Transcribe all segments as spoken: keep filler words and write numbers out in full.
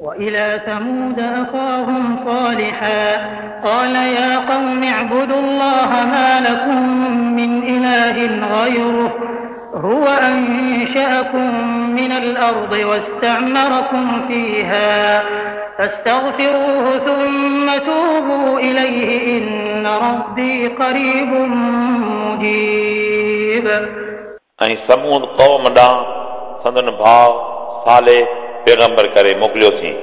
وإلى ثمود أخاهم صالحا قال يا قوم اعبدوا الله ما لكم من إله غيره هو أنشأكم من الأرض واستعمركم فيها فاستغفروه ثم توبوا إليه إن ربي قريب مجيب. ऐं समूद क़ौम ॾांहुं संदन भाउ साले पैगंबर करे मोकिलियोसीं।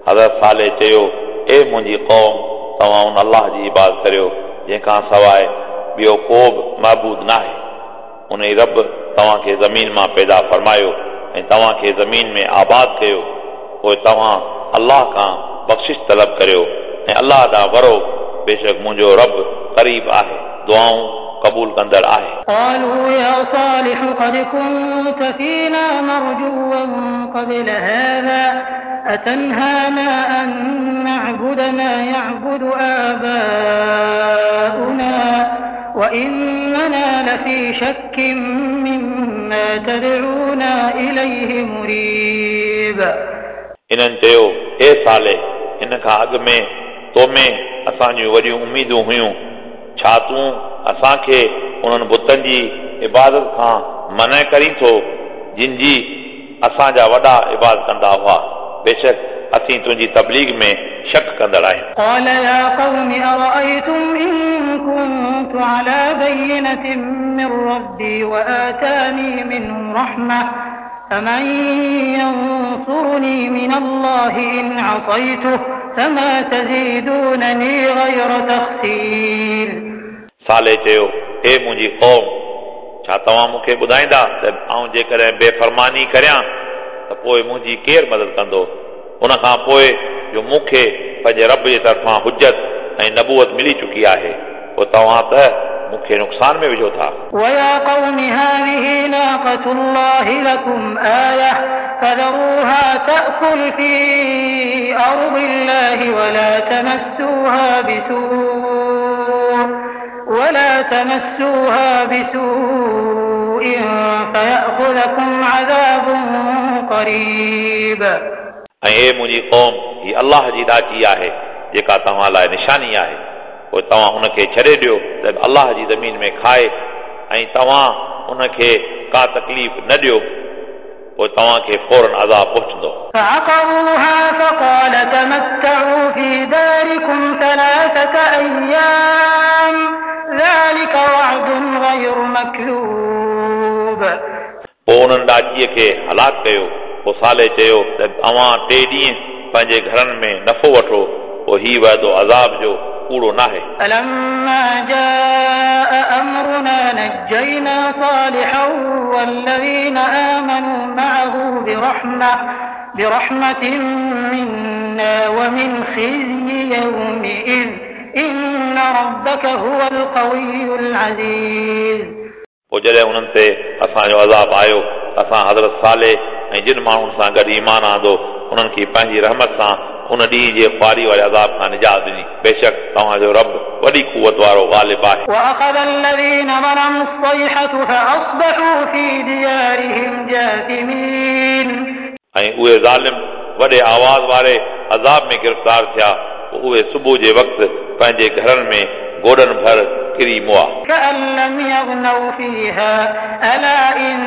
हज़रत साले चयो, ए मुंहिंजी क़ौम, तव्हां उन अल्लाह जी इबादत करियो जंहिंखां सवाइ ॿियो को बि महबूद नाहे। उन ई रब तव्हांखे ज़मीन मां पैदा फरमायो ऐं तव्हांखे ज़मीन में आबाद कयो, पोइ तव्हां अल्लाह खां बख़्शिश तलब करियो ऐं अल्लाह ॾांहुं वरो, बेशक मुंहिंजो रब क़रीब आहे, दुआऊं क़बूल कंदड़ आहे। قالوا يا صالح قد كنت فينا مرجوا قبل هذا أتنهانا أن نعبد ما يعبد آباؤنا وإننا لفي شك مما تدعونا إليه مريب. इन्हनि चयो, ए साले, हिन खां अॻु में तो में असांजूं वॾियूं उमेदूं हुयूं, छा तूं असांखे उन्हनि बुतनि जी इबादत खां मना करीं थो जिन जी असांजा वॾा इबादत कंदा हुआ? बेशक असीं तुंहिंजी तबलीग में शक कंदड़ आहियूं। قال يا قوم أرأيتم إن كنت على بينة من ربي وآتاني منه رحمة فمن ينصرني من الله إن عصيته فما تزيدونني غير تخسير. साले चयो, हे मुंहिंजी क़ौम, छा तव्हां मूंखे ॿुधाईंदा त आउं जेकॾहिं बेफरमानी करियां त पोइ मुंहिंजी केरु मदद कंदो? उन खां पोइ जो मूंखे पंहिंजे रब जे तरफ़ां हुजत ऐं नबूअत मिली चुकी आहे, पोइ तव्हां त मूंखे नुक़सान में विझो था। ويا قوم هذه ناقة الله لكم آية فذروها تأكل في أرض الله ولا تمسوها بسوء ولا تمسوها بسوء فيأخذكم عذاب قريب. ऐं हे मुंहिंजी क़ौम, हीअ अल्लाह जी ॾाची आहे जेका तव्हां लाइ निशानी आहे, पोइ तव्हां उनखे छॾे ॾियो त अल्लाह जी ज़मीन में खाए ऐं तव्हां उनखे का तकलीफ़ न ॾियो, पोइ तव्हांखे फ़ौरन अज़ाब पहुचंदो। فعقروها فقال تمتعوا في داركم ثلاثة أيام ذلك وعد غير مكذوب. पोइ उन्हनि ॾाचीअ खे हलाक कयो। पोइ साले चयो त अव्हां टे ॾींहं पंहिंजे घरनि में नफ़ो वठो, पोइ हीउ वाइदो अज़ाब जो कूड़ो नाहे। فلما جاء أمرنا نجينا صالحا والذين آمنوا معه برحمة برحمة منا ومن خزي يومئذ إن ربك هو القوي العزيز. पोइ जॾहिं उन्हनि ते असांजो अज़ाब आयो, असां हज़रत साले ऐं जिन माण्हुनि सां गॾु ईमान आंदो उन्हनि खे पंहिंजी रहमत सां उन ॾींहं जे ख़्वारी वारे अज़ाब खां निजात ॾिनी। बेशक तव्हांजो रब वॾी कुवत वारो ग़ालिब आहे। وأخذ الذين ظلموا الصيحة فأصبحوا في ديارهم جاثمين. ऐं उहे ज़ालिम वॾे आवाज़ वारे अज़ाब में गिरफ़्तार थिया, पोइ उहे सुबुह जे वक़्तु पंहिंजे घरनि में गोॾनि भर किरी मुआ। كأن لم يغنوا فيها ألا إن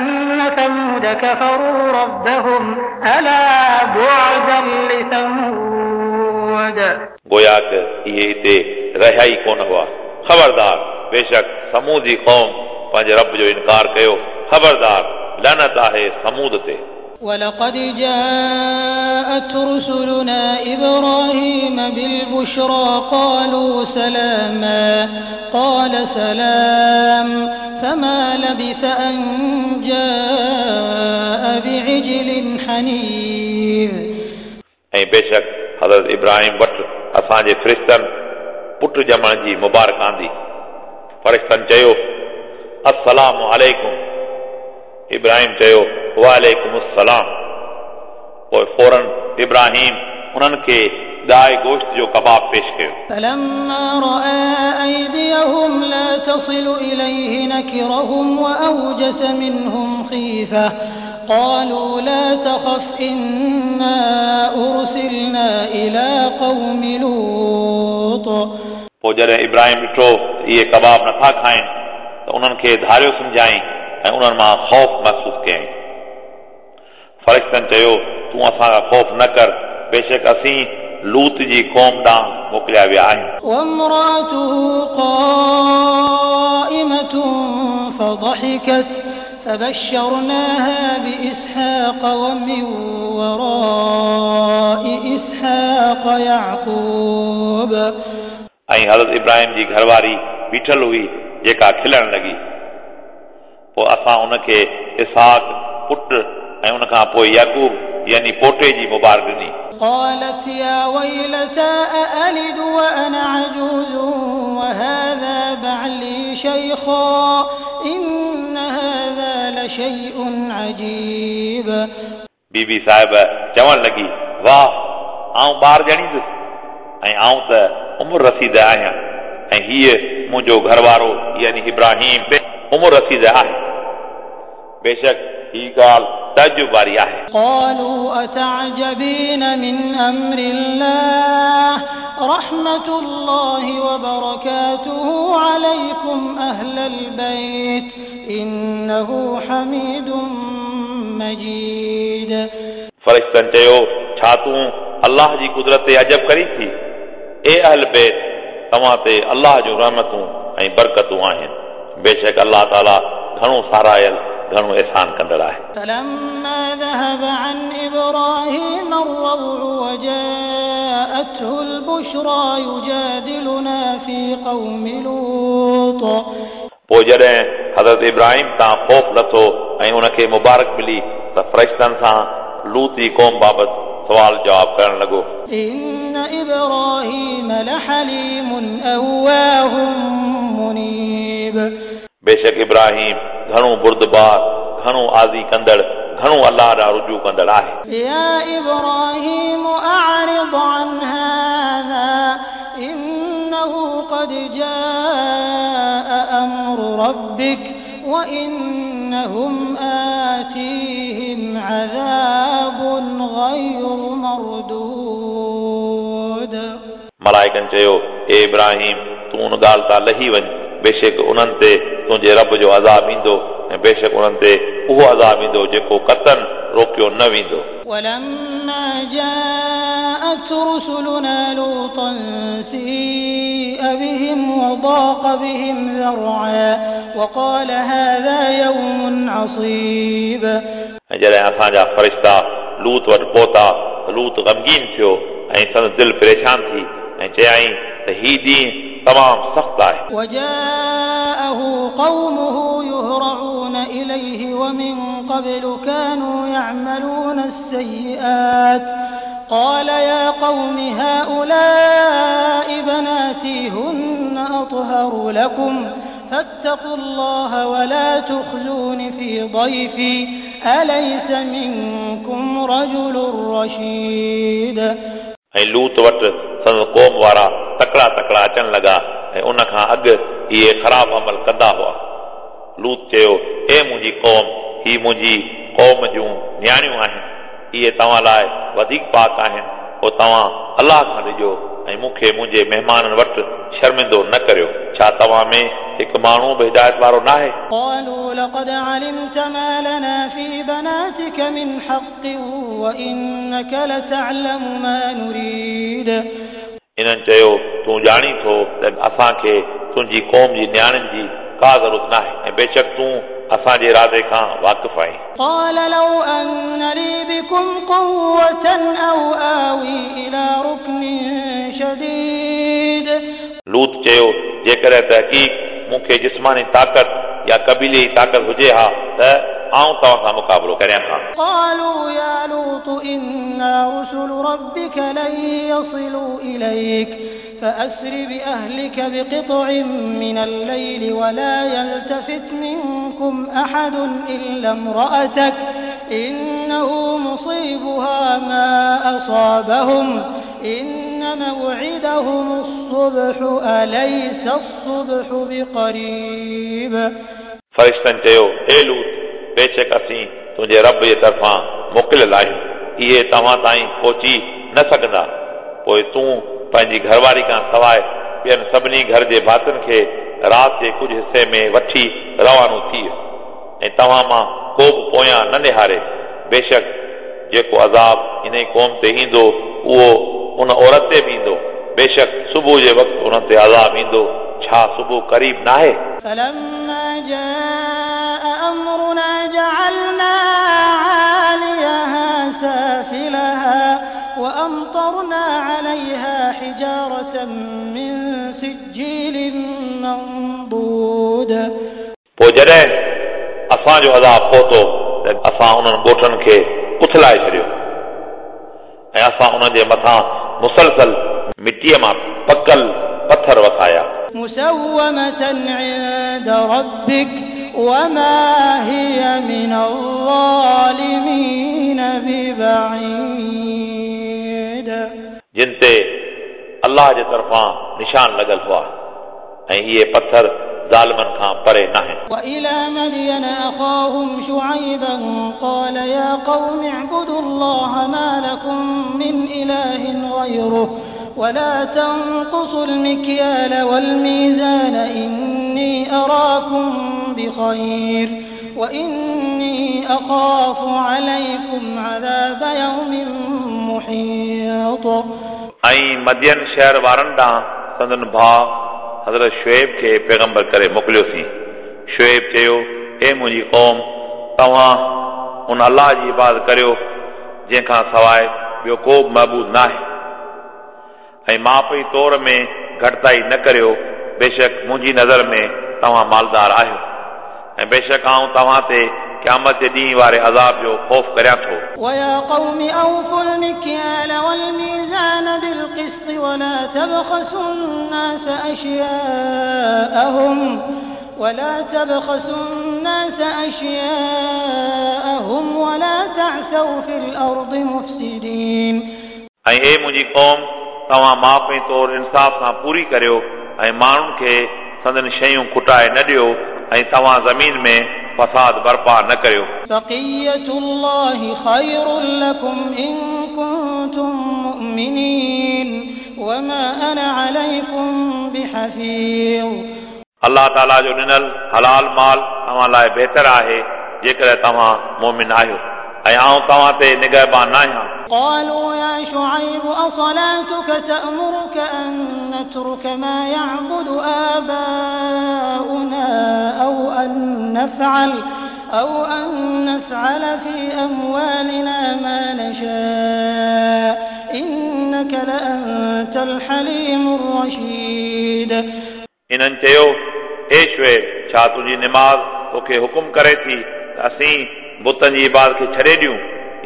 ثمود كفروا ربهم ألا بعدا لثمود. गोया त इहे हिते रहिया ई कोन हुआ। ख़बरदार, बेशक समूद जी क़ौम पंहिंजे रब जो इनकार कयो। ख़बरदार, लानत आहे समूद ते। ولقد جاءت رسلنا إبراهيم بالبشرى قالوا سلاما قال سلام فما لبث أن جاء بعجل حنيذ. ऐं बेशक हज़रत इब्राहिम वटि असांजे फ़रिश्तनि पुट ॼमण जी मुबारक आंदी। फ़रिश्तनि चयो, अस्सलामु अलैकुम। इब्राहिम चयो, वालेकुम अस्सलाम। पोइ फ़ौरन इब्राहिम उन्हनि खे गाय गोश्त जो कबाब पेश कयो। فلما رأى أيديهم لا تصل إليه نكرهم وأوجس منهم خيفة قالوا لا تخف إنا أرسلنا قوم لوط. पोइ जॾहिं इब्राहिम ॾिठो त इहे कबाब नथा खाइनि त उन्हनि खे धारियो सम्झाई ऐं उन्हनि मां ख़ौफ़ महसूसु कयईं। फ़रिश्तनि चयो, तूं असां खां ख़ौफ़ न कर, बेशक असीं लूत जी क़ौम ॾांहुं मोकिलिया विया आहियूं। وامرأته قائمة فضحكت فبشرناها بإسحاق ومن وراء إسحاق يعقوب. ऐं हज़रत इब्राहिम जी घरवारी बीठल हुई जेका खिलण लॻी। पोइ असां उनखे इसहाक पुट ऐं उन खां पोइ याकूब यानी पोटे जी मुबारक ॾिनी। قالت يا ويلتى أألد وأنا عجوز وهذا بعلي شيخا إن هذا لشيء عجيب. बीबी साहिब चवण लॻी, वाह, आउं ॿार ॼणींदुसि ऐं आउं त उमिरि रसीद आहियां ऐं हीअ मुंहिंजो घरवारो यानी इब्राहिम बि उमिरि रसीद आहे। बेशक ही ॻाल्हि तअज्जुब वारी आहे। قالوا أتعجبين من أمر الله رحمة الله وبركاته عليكم أهل البيت إنه حميد مجيد. फ़रिश्तनि चयो, छा तूं अल्लाह जी कुदरत ते अजब करी थी? ए अहल बैत, तव्हां ते अल्लाह जूं रहमतूं ऐं बरकतूं आहिनि। बेशक अल्लाह ताला घणो सारायल घणो एहसान कंदड़ आहे। فلما ذهب عن إبراهيم الروع وجاءته البشرى يجادلنا في قوم لوط. पोइ जॾहिं हज़रत इब्राहिम तां ख़ौफ़ लथो ऐं उनखे मुबारक मिली त फ़रिश्तनि सां लूत जी क़ौम बाबति सवाल जवाब करण लॻो। إن إبراهيم لحليم أواه منيب. बेशक इब्राहिम घणो बुर्दबार, घणो आज़ी कंदड़, घणो अल्लाह ॾांहुं रुजू कंदड़ आहे। يا إبراهيم أعرض عن هذا إنه قد جاء أمر ربك وإنهم آتيهم عذاب غير مردود. मलाइकनि चयो, ए इब्राहिम, तूं उन ॻाल्हि तां लही वञ, बेशक उन्हनि ते तुंहिंजे रब जो अज़ाब ईंदो ऐं बेशक उन्हनि ते उहो अज़ाब ईंदो जेको कतन रोकियो न वेंदो। ولما جاءت رسلنا لوطا سيء بهم وضاق بهم ذرعا وقال هذا يوم عصيب. ऐं जॾहिं असांजा फ़रिश्ता लूत वटि पहुता त लूत ग़मगीन थियो ऐं संदसि दिलि परेशान थी ऐं चयाईं त ही ॾींहुं तमामु सख़्तु आहे। وجاءه قومه يهرعون إليه ومن قبل كانوا يعملون السيئات قال يا قوم هؤلاء بناتي هن أطهر لكم فاتقوا الله ولا تخزون في ضيفي أليس منكم رجل رشيد. ऐं लूत वटि संदसि क़ौम वारा तकड़ा तकड़ा अचणु लॻा ऐं उन खां अॻु इहे ख़राब अमल कंदा हुआ। लूत चयो, ए मुंहिंजी क़ौम, ही मुंहिंजी क़ौम जूं नियाणियूं आहिनि, इहे तव्हां लाइ वधीक पाक आहिनि, पोइ तव्हां अल्लाह खां ॾिजो ऐं मूंखे मुंहिंजे महिमाननि वटि शर्मिंदो न करियो। छा तव्हां में हिकु माण्हू बि हिदायत वारो न आहे? قالوا لقد علمت ما لنا في بناتك من حق وإنك لتعلم ما نريد. इन्हनि चयो, तूं ॼाणी थो त असांखे तुंहिंजी क़ौम जी नियाणियुनि जी का ज़रूरत न आहे ऐं बेशक तूं असांजे इरादे खां वाक़िफ़ आहीं। قال لو أن لي بكم قوة أو آوي إلى ركن شديد. लूत चयो, जेकॾहिं तहक़ीक़ मूंखे जिस्मानी ताक़त या क़बीले जी ताक़त हुजे हा त आउं तव्हां सां मुक़ाबिलो करियां हा। قالوا يا لوط إنا رسل ربك لن يصلوا إليك فأسر بأهلك بقطع من الليل ولا يلتفت منكم أحد إلا امرأتك إنه مصيبها ما أصابهم إن موعدهم الصبح أليس الصبح بقريب. फ़रिश्तनि चयो, ए लूत, बेशक असीं तुंहिंजे रब जे तरफ़ां मोकिलियल आहियूं, इहे तव्हां ताईं पहुची न सघंदा। पोइ तूं पंहिंजी घरवारी खां सवाइ ॿियनि सभिनी घर जे भातियुनि खे राति जे कुझु हिसे में वठी रवानो थी ऐं तव्हां मां को बि पोयां न निहारे। बेशक जेको अज़ाब इन क़ौम ते ईंदो उहो उन औरत ते बि ईंदो। बेशक सुबुह जे वक़्तु उन्हनि ते अज़ाब ईंदो। छा सुबुह क़रीब नाहे? فلما جاء أمرنا جعلنا عاليها سافلها وأمطرنا عليها حجارة من سجيل منضود। पोइ जॾहिं असांजो अज़ाब पहुतो त असां उन्हनि ॻोठनि खे उथलाए छॾियो ऐं असां उन्हनि जे मथां मुसलसल मिटीअ मां पकल पथर वसाया। مسومة عند ربك وما هي من الظالمين ببعيد। जिन ते अल्लाह जे तरफ़ां निशान लॻल हुआ ऐं इहे पथर ज़ालिमनि खां परे नाहिनि। وإلى مدين أخاهم شعيبا قال يا قوم اعبدوا الله ما لكم من إله غيره ولا تنقصوا المكيال والميزان إني أراكم بخير وإني أخاف عليكم عذاب يوم محيط। ऐं मदियन शहर वारनि ॾांहुं संदन भाउ हज़रत शुएब खे पैगंबर करे मोकिलियोसीं। शुएब चयो, ए मुंहिंजी क़ौम, तव्हां उन अल्लाह जी इबादत करियो जंहिंखां सवाइ ॿियो को बि महबूद नाहे ऐं माप जी तौर में घटिताई न करियो। बेशक मुंहिंजी नज़र में तव्हां मालदार आहियो ऐं बेशक आउं तव्हां ते क़यामत जे ॾींहं वारे अज़ाब जो ख़ौफ़ करियां थो। ويا قوم أوفوا المكيال والميزان بالقسط ولا تبخسوا الناس أشياءهم ولا تبخسوا الناس أشياءهم ولا تعثوا في الأرض مفسدين। ऐं हे मुंहिंजी क़ौम, तव्हां माप ऐं तौर इंसाफ़ सां पूरी करियो ऐं माण्हुनि खे संदन शयूं खुटाए न ॾियो ऐं तव्हां ज़मीन में फसाद बर्पा न करियो। بقية الله خير لكم إن كنتم مؤمنين وما أنا عليكم بحفيظ। अल्लाह ताला जो ॾिनल हलाल माल तव्हां लाइ बहितर आहे जेकॾहिं तव्हां मोमिन आहियो ऐं आउं तव्हां ते निगहबान न आहियां। قالوا يا شعيب أصلاتك تأمرك أن نترك ما يعبد آباؤنا أو أن نفعل أو أن نفعل في أموالنا ما نشاء إنك لأنت الحليم الرشيد। इन्हनि चयो, हे शुएब, छा तुंहिंजी निमाज़ तोखे हुकुम करे थी त असीं बुतनि जी इबादत खे छॾे ॾियूं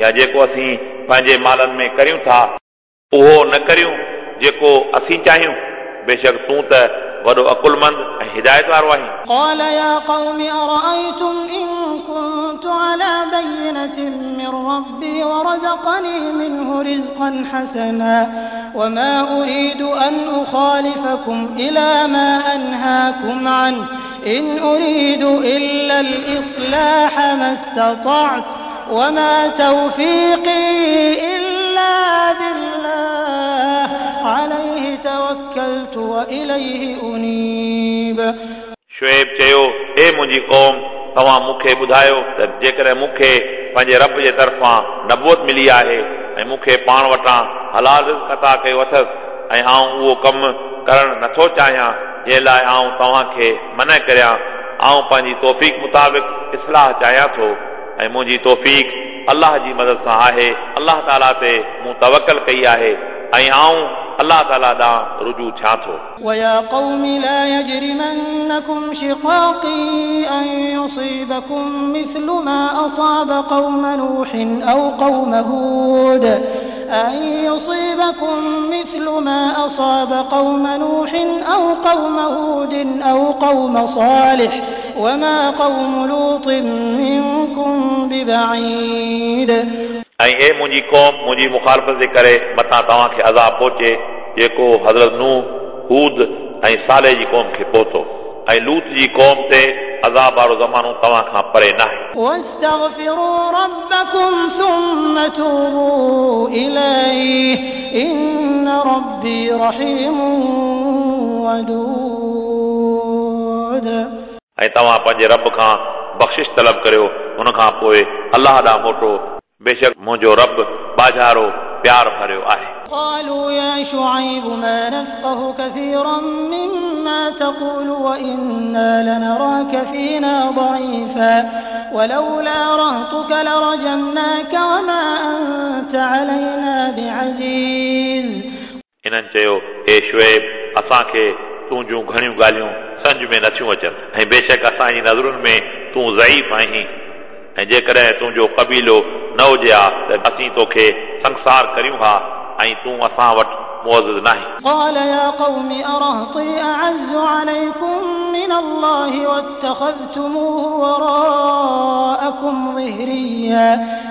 या जेको असीं पंहिंजे मालनि में करियूं था उहो न करियूं जेको असीं चाहियूं? बेशक तूं त वॾो अकुलमंद ऐं हिदायत वारो आहीं। قال يا قوم أرأيتم إن كنت على بينة من ربي ورزقني منه رزقا حسنا وما أريد أن أخالفكم إلى ما أنهاكم عنه إن أريد إلا الإصلاح ما استطعت وما توفيقي إلا بالله عليه توكلت وإليه أنيب। शुएब चयो, हे मुंहिंजी क़ौम, तव्हां मूंखे ॿुधायो त जेकॾहिं मूंखे पंहिंजे रब जे तरफ़ां नबूअत मिली आहे ऐं मूंखे पाण वटां हलाल रिज़्क अता कयो अथसि ऐं आउं उहो कमु करणु नथो चाहियां जंहिं लाइ आउं तव्हांखे मना करियां, आउं पंहिंजी तौफ़ीक़ मुताबिक़ इस्लाह चाहियां थो ऐं मुंहिंजी तौफ़ीक़ अल्लाह जी मदद सां आहे। अल्लाह ताला ते मूं तवकल कई आहे ऐं आउं अल्लाह ताला ॾांहुं रुजू थियां थो। ويا قوم لا يجرمنكم شقاقي أن يصيبكم مثل ما أصاب قوم نوح أو قوم هود أن يصيبكم مثل ما أصاب قوم نوح أو قوم هود أو قوم صالح وما قوم لوط منكم ببعيد। ऐं हे मुंहिंजी क़ौम, मुंहिंजी मुखालफ़त जे करे मथां तव्हांखे अज़ाब पहुचे जेको हज़रत नूह, हूद ऐं साले जी क़ौम खे पहुतो ऐं लूत जी क़ौम ते अज़ाब वारो ज़मानो तव्हां खां परे नाहे। واستغفروا ربكم ثم توبوا إليه إن ربي رحيم ودود. ऐं तव्हां पंहिंजे रब खां बख़्शिश तलब करियो, उन खां पोइ अलाह ॾांहुं मोटो, बेशक मुंहिंजो रब बाजारो प्यार भरियो आहे। قالوا يا شعيب ما نفقه كثيرا مما تقول وإنا لنراك فينا ضعيفا ولولا رهطك لرجمناك وما أنت علينا بعزيز. इन्हनि चयो, हे शुएब, असांखे तुंहिंजूं घणियूं ॻाल्हियूं सम्झ में नथियूं अचनि ऐं बेशक असांजी नज़रुनि में तूं ज़ईफ़ आहीं ऐं जेकॾहिं तुंहिंजो क़बीलो न हुजे हा त असीं तोखे संसार करियूं हा ऐं तूं असां वटि मुअज़्ज़ नाहीं। قال يا قوم أرهطي أعز عليكم من الله واتخذتموه وراءكم ظهريا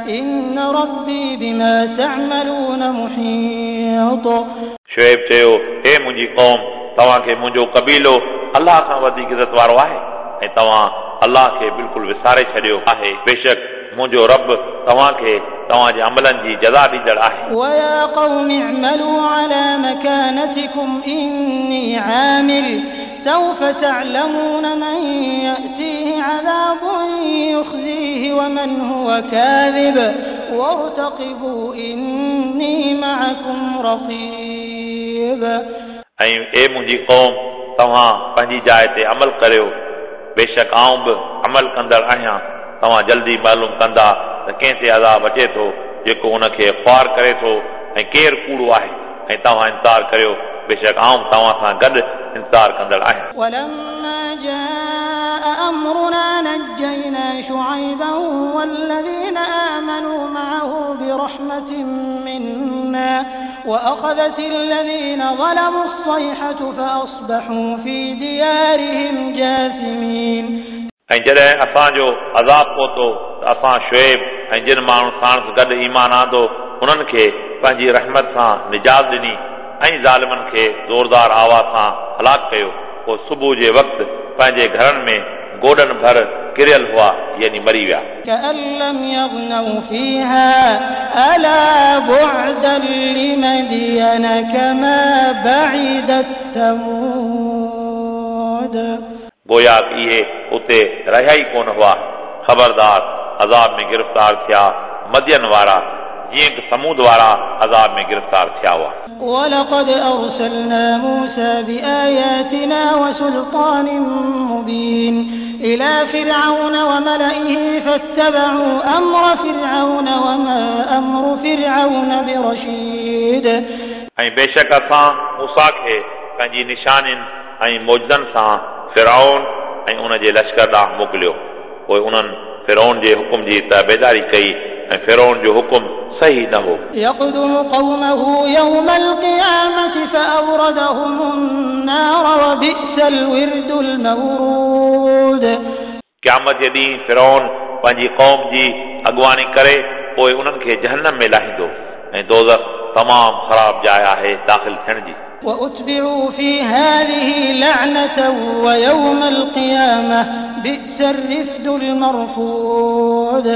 إن ربي بما تعملون محيط. शुएब चयो, हे मुंहिंजी क़ौम, तव्हांखे मुंहिंजो क़बीलो अलाह खां वधीक इज़त वारो आहे ऐं तव्हां अलाह खे बिल्कुलु विसारे छॾियो आहे। बेशक मुंहिंजो रब तव्हांखे तव्हांजे अमलनि जी जज़ा ॾींदड़ आहे। ويا قوم اعملوا على مكانتكم إني عامل سوف تعلمون من يأتيه عذاب يخزيه ومن هو كاذب وارتقبوا إني معكم رقيب. ऐं ए मुंहिंजी क़ौम, तव्हां पंहिंजी जाइ ते अमल करियो, बेशक आउं बि अमल कंदड़ आहियां। तव्हां जल्दी मालूम कंदा त कंहिं ते अज़ाब अचे थो जेको उनखे ख़्वार करे थो ऐं केरु कूड़ो आहे, ऐं तव्हां इंतज़ार करियो, बेशक आउं तव्हां सां गॾु इंतज़ार कंदड़ आहियां। ولما جاء أمرنا نجينا شعيبا والذين آمنوا معه برحمة منا وأخذت الذين ظلموا الصيحة فأصبحوا في ديارهم جاثمين. ऐं जॾहिं असांजो अज़ाब पहुतो त असां शुएब ऐं जिन माण्हुनि साणुसि गॾु ईमान आंदो उन्हनि खे पंहिंजी रहमत सां निजात ॾिनी ऐं ज़ालिमनि खे ज़ोरदार आवाज़ सां हलाक कयो। पोइ सुबुह जे वक़्तु पंहिंजे घरनि में गोॾनि भर किरियल हुआ, यानी मरी विया। كأن لم يغنوا فيها ألا بعدا لمدين كما بعدت ثمود. गोया इहे उते रहिया ई कोन हुआ। ख़बरदार अज़ाब में गिरफ़्तार थिया मदियन वारा, जीअं की समूद वारा अज़ाब में गिरफ़्तार थिया हुआ। ولقد أرسلنا موسى بآياتنا وسلطان مبين إلى فرعون وملئه فاتبعوا أمر فرعون وما أمر فرعون برشيد. ऐं बेशक असां मूसा खे पंहिंजी निशानियुनि ऐं मौजज़नि सां फिरौन ऐं उन जे लश्कर ॾांहुं मोकिलियो। पोइ उन्हनि फिरौन जे हुकुम जी ताबेदारी कई ऐं फिरौन जो हुकुम सही न हो। يقدم قومه يوم القيامة فأوردهم النار وبئس الورد المورود. क़यामत जे ॾींहुं फिरौन पंहिंजी क़ौम जी अॻुवाणी करे पोइ उन्हनि खे जहन्नम में लाहींदो ऐं दोज़ख तमामु ख़राब जाइ आहे दाख़िल थियण जी। وأتبعوا في هذه لعنة ويوم القيامة بئس الرفد المرفود.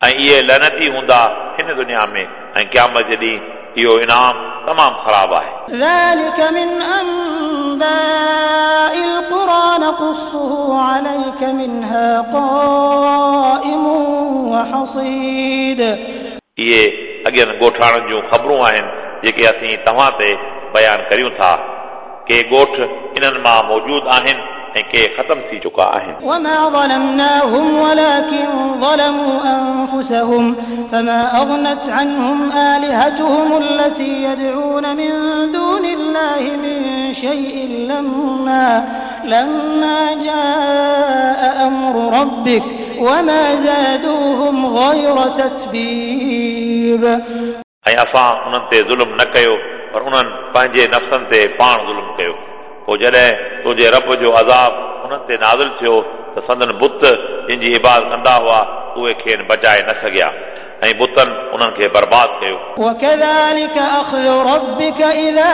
ऐं इहे लनती हूंदा हिन दुनिया में ऐं क़यामत जे ॾींहुं इहो इनाम तमामु ख़राब आहे। ذلك من أنباء القرى نقصه عليك منها قائم وحصيد. इहे अॻियनि ॻोठाणनि जूं ख़बरूं आहिनि जेके असीं तव्हां ते बयानु करियूं था। के ॻोठ इन्हनि मां मौजूद आहिनि ऐं के ख़तमु थी चुका आहिनि। وما ظلمناهم ولكن ظلموا أنفسهم فما أغنت عنهم آلهتهم التي يدعون من دون الله من شيء لما لما جاء أمر ربك وما زادوهم غير تتبيب. ऐं असां उन्हनि ते ज़ुल्म न कयो पर उन्हनि पंहिंजे नफ़्सनि ते पाण ज़ुल्म कयो। पोइ जॾहिं तुंहिंजे रब जो अज़ाब उन्हनि ते नाज़िल थियो त संदन बुत जिन जी इबादत कंदा हुआ उहे खेनि बचाए न सघिया ऐं बुतनि उन्हनि खे बर्बाद कयो। وكذلك أخذ ربك إذا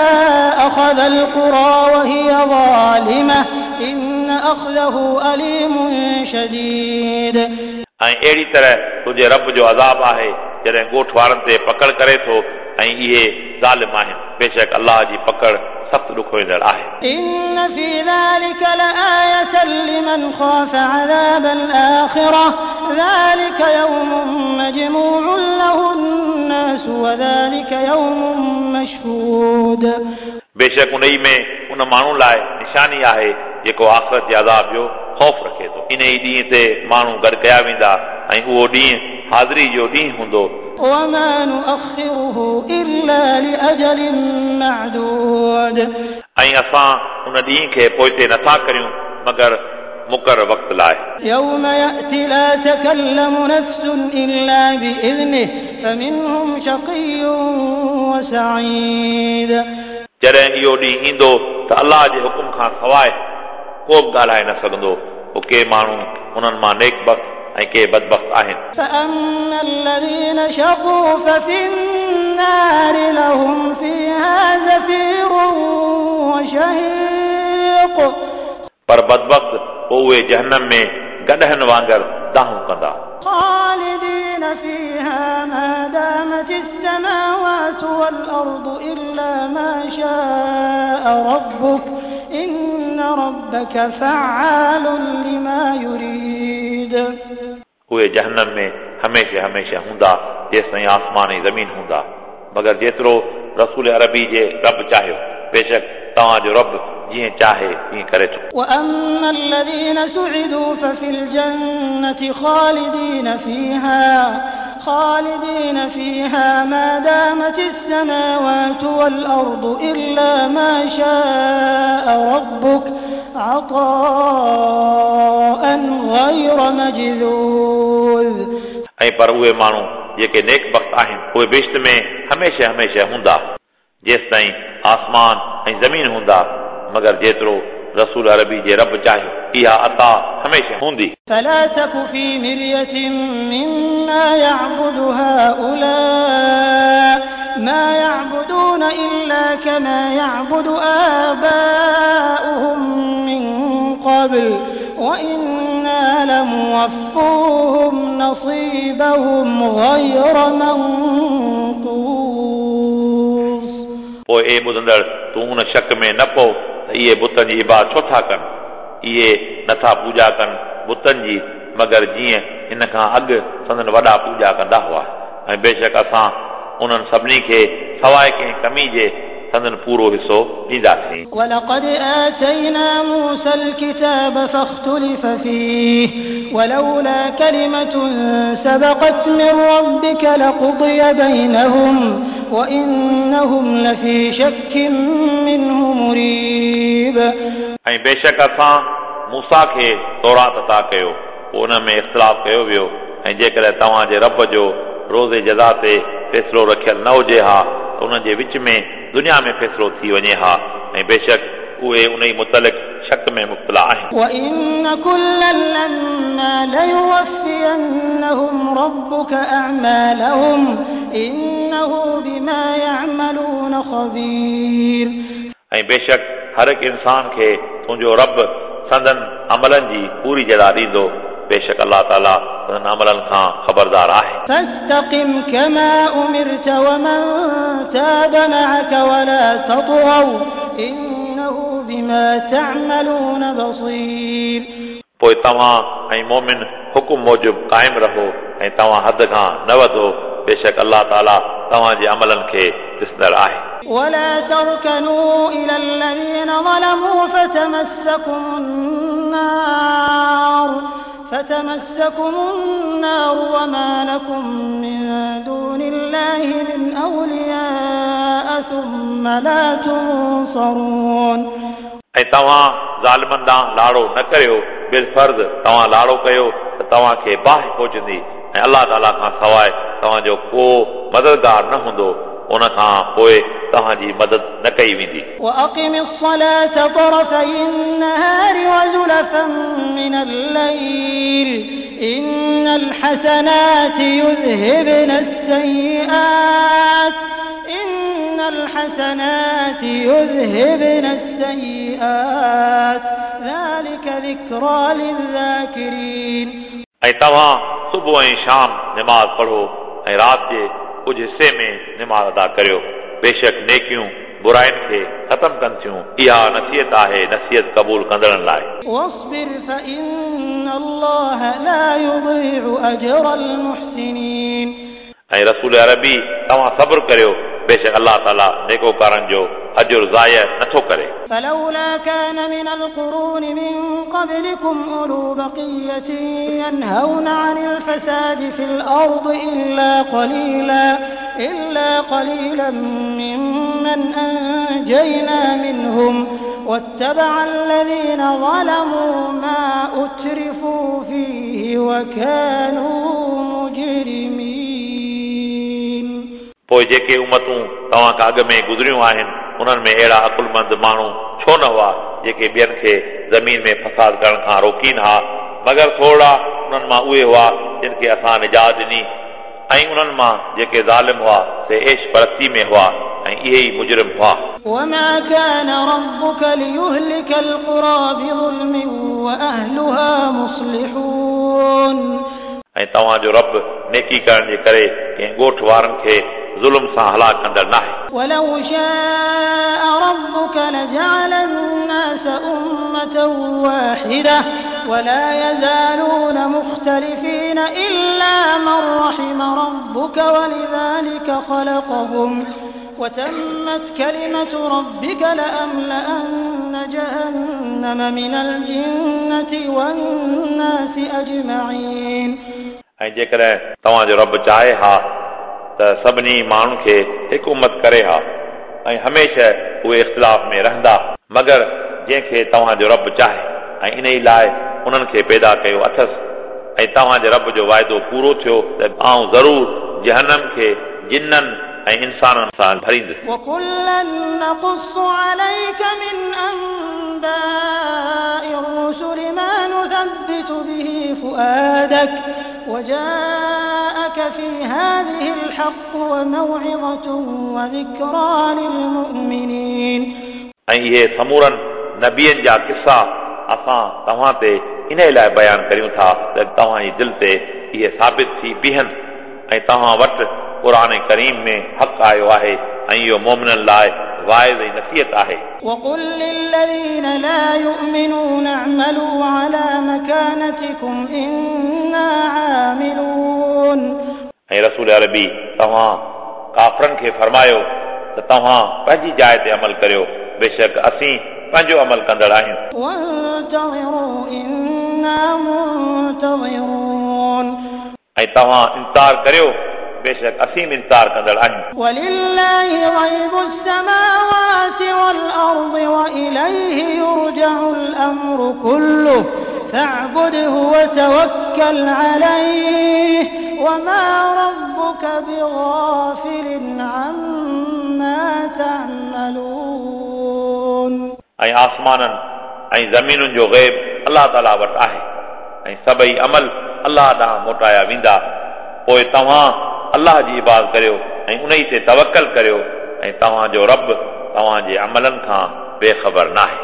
أخذ القرى وهي ظالمة إن أخذه أليم شديد. ऐं अहिड़ी तरह तुंहिंजे रब जो अज़ाब आहे जॾहिं ॻोठ वारनि ते पकड़ करे थो ऐं इहे ज़ालिम आहिनि। बेशक अल्लाह जी पकड़ सख़्त ॾुखोईंदड़ आहे। إن في ذلك لآية لمن خاف عذاب الآخرة ذلك يوم مجموع له الناس وذلك يوم مشهود। बेशक उन में उन माण्हू लाइ निशानी आहे जेको आख़िरत जे अज़ाब जो ख़ौफ़ रखे थो। इन ई ॾींहं ते माण्हू गॾु कया वेंदा ऐं उहो ॾींहुं हाज़िरी जो ॾींहुं हूंदो। وما نؤخره إلا لأجل معدود। ऐं असां उन ॾींहं खे पोइते नथा करियूं मगर मुक़ररु वक़्त लाइ। يوم يأتي لا تكلم نفس إلا بإذنه فمنهم شقي وسعيد। जॾहिं इहो ॾींहुं ईंदो त अल्लाह जे हुकुम खां सवाइ को बि ॻाल्हाए न सघंदो। पोइ के माण्हू उन्हनि मां नेक बख़्त ऐं के बदबख़्त आहिनि। فأما الذين شقوا ففي النار لهم فيها زفير وشهيق। पर बदबख़्त पोइ उहे जहन्नम में गॾहनि वांगुरु दाहूं कंदा। خالدين فيها ما دامت السماوات والأرض إلا ما شاء ربك إن ربك فعال لما يريد। उहे जहन्नम में हमेशह हमेशह हूंदा जेसिताईं आसमान ऐं ज़मीन हूंदा, मगर जेतिरो रसूल अरबी जे रब चाहियो। बेशक तव्हांजो रब जीअं चाहे तीअं करे थो। وأما الذين سعدوا ففي الجنة خالدين فيها خالدين فيها ما دامت السماوات والأرض إلا ما شاء ربك عطاء غير مجذوذ। ऐं पर उहे माण्हू जेके नेक बख़्त आहिनि उहे बहिश्त में हमेशह हमेशह हूंदा जेसिताईं आसमान ऐं ज़मीन हूंदा, मगर जेतिरो रसूल अरबी जे रब चाहियो इहा अता हमेशह हूंदी। فلا تك في مرية مما يعبد هؤلاء ما يعبدون إلا كما يعبد آباؤهم من قبل وإنا لموفوهم نصيبهم غير منقوص। पोइ ए ॿुधंदड़, तूं उन शक में न पओ त इहे बुतनि जी इबादत छो था कनि। इहे नथा पूॼा कनि बुतनि जी, मगर जीअं हिन खां अॻु संदन वॾा पूॼा कंदा हुआ। ऐं बेशक असां उन्हनि सभिनी खे सवाइ कंहिं कमी जे संदन पूरो हिसो ॾींदासीं। ولقد آتينا موسى الكتاب فاختلف فيه ولولا كلمة سبقت من ربك لقضي بينهم وإنهم لفي شك منه مريب। ऐं बेशक असां मूसा खे तौरात अता कयो, पोइ उन में इख़्तिलाफ़ कयो वियो। ऐं जेकॾहिं तव्हांजे रब जो रोज़े जज़ा ते फ़ैसिलो रखियल न हुजे हा त उन्हनि जे विच में दुनिया में फ़ैसिलो थी वञे हा। ऐं बेशक उहे उन ई मुतलिक़ शक में मुब्तला आहिनि। وإن كلا لما ليوفينهم ربك أعمالهم إنه بما يعملون خبير। ऐं बेशक हर हिकु इंसान खे तुंहिंजो रब संदन अमलनि जी पूरी जज़ा ॾींदो। बेशक अल्लाह ताला संदन अमलनि खां ख़बरदार आहे। فاستقم كما أمرت ومن تاب معك ولا تطغوا إنه بما تعملون بصير। पोइ तव्हां ऐं मोमिन हुकुम मूजिबि क़ाइमु रहो ऐं तव्हां हद खां न वधो। बेशक अल्लाह ताला तव्हांजे अमलनि खे ॾिसंदड़ आहे। ولا تركنوا إلى الذين ظلموا فتمسكم النار فتمسكم النار وما لكم من دون الله من أولياء ثم لا تنصرون। ऐं तव्हां ज़ालिमनि ॾांहुं लाड़ो न करियो, बिलफ़र्ज़ तव्हां लाड़ो कयो त तव्हांखे बाहि पहुचंदी ऐं अल्लाह ताला खां सवाइ तव्हांजो को मददगार न हूंदो, उन खां पोइ तव्हांजी मदद न कई वेंदी। وأقم الصلاة طرفي النهار وزلفا من الليل إن الحسنات يذهبن السيئات إن الحسنات يذهبن السيئات ذلك ذكرى للذاكرين. ऐं तव्हां सुबुह ऐं शाम नमाज़ पढ़ो ऐं राति जे कुझु हिसे में नमाज़ अदा करियो। बेशक नेकियूं बुराइनि खे ख़तमु कनि थियूं। इहा नसीहत आहे नसीहत क़बूल कंदड़नि लाइ। واصبر فإن الله لا يضيع أجر المحسنين। ऐं रसूल अरबी तव्हां सब्र करियो, बेशक अलाह ताला नेकोकारनि जो अजुर ज़ाय नथो करे। فلولا كان من القرون من قبلكم أولو بقية ينهون عن الفساد في الأرض إلا قليلا إلا قليلا ممن أنجينا منهم واتبع الذين ظلموا ما أترفوا فيه وكانوا مجرمين। पोइ जेके उमतूं तव्हां खां अॻु में गुज़रियूं आहिनि उन्हनि में अहिड़ा अक़ुलमंद माण्हू छो न हुआ जेके ॿियनि खे ज़मीन में फसाद करण खां रोकीनि हा, मगर थोरा उन्हनि मां उहे हुआ जिन खे असां निजात ॾिनी, ऐं उन्हनि मां जेके ज़ालिम हुआ से ऐश परस्ती में हुआ ऐं इहे ई मुजरिम हुआ। وما كان ربك ليهلك القرى بظلم وأهلها مصلحون। ऐं तव्हांजो रब नेकी करण जे करे कंहिं ॻोठ वारनि खे ज़ुल्म सां हलाक कंदड़ नाहे। ولو شاء ربك لجعل الناس أمة واحدة ولا يزالون مختلفين إلا من رحم ربك ولذلك خلقهم وتمت كلمة ربك لأملأن جهنم من الجنة والناس أجمعين। ऐं जेकॾहिं तव्हांजो रब चाहे हा त सभिनी माण्हुनि खे हिकु उमत करे हा ऐं हमेशह उहे इख़्तिलाफ़ में रहंदा, मगर जंहिंखे तव्हांजो रब चाहे, ऐं इन ई लाइ उन्हनि खे पैदा कयो अथसि। ऐं तव्हांजे रब जो वाइदो पूरो थियो त आउं ज़रूर जहनम खे जिन्ननि ऐं इंसाननि सां भरींदुसि। وكلا نقص عليك من أنباء الرسل ما نثبت به فؤادك وجاءك في هذه الحق وموعظة وذكرى للمؤمنين। ऐं इहे समूरनि नबियनि जा किस्सा असां तव्हां ते इन लाइ बयानु करियूं था त तव्हांजी दिलि ते इहे साबित थी बीहनि, ऐं तव्हां वटि क़ुर करीम में हक़ आयो आहे ऐं इहो मोमिननि लाइ वाइज़ ऐं नसीहत आहे। وقل للذين لا يؤمنون اعملوا على مكانتكم إنا عاملون। ऐं रसूल अरबी तव्हां काफ़रनि खे फरमायो त तव्हां पंहिंजी जाइ ते अमल करियो, बेशक असीं पंहिंजो अमल कंदड़ आहियूं। وانتظروا إنا منتظرون। ऐं तव्हां इंतज़ार करियो, बेशक असीं बि इंतज़ार कंदड़ आहियूं। ولله غيب السماوات والأرض وإليه يرجع الأمر كله فاعبده وتوكل عليه وما ربك بغافل عما تعملون। ऐं आसमाननि ऐं ज़मीनुनि जो ग़ैब अलाह ताला वटि आहे ऐं सभई अमल अलाह ॾांहुं मोटाया वेंदा। पोइ तव्हां अलाह जी इबादत करियो ऐं उन ई ते तवकल करियो, ऐं तव्हांजो रब तव्हांजे अमलनि खां बेख़बर नाहे।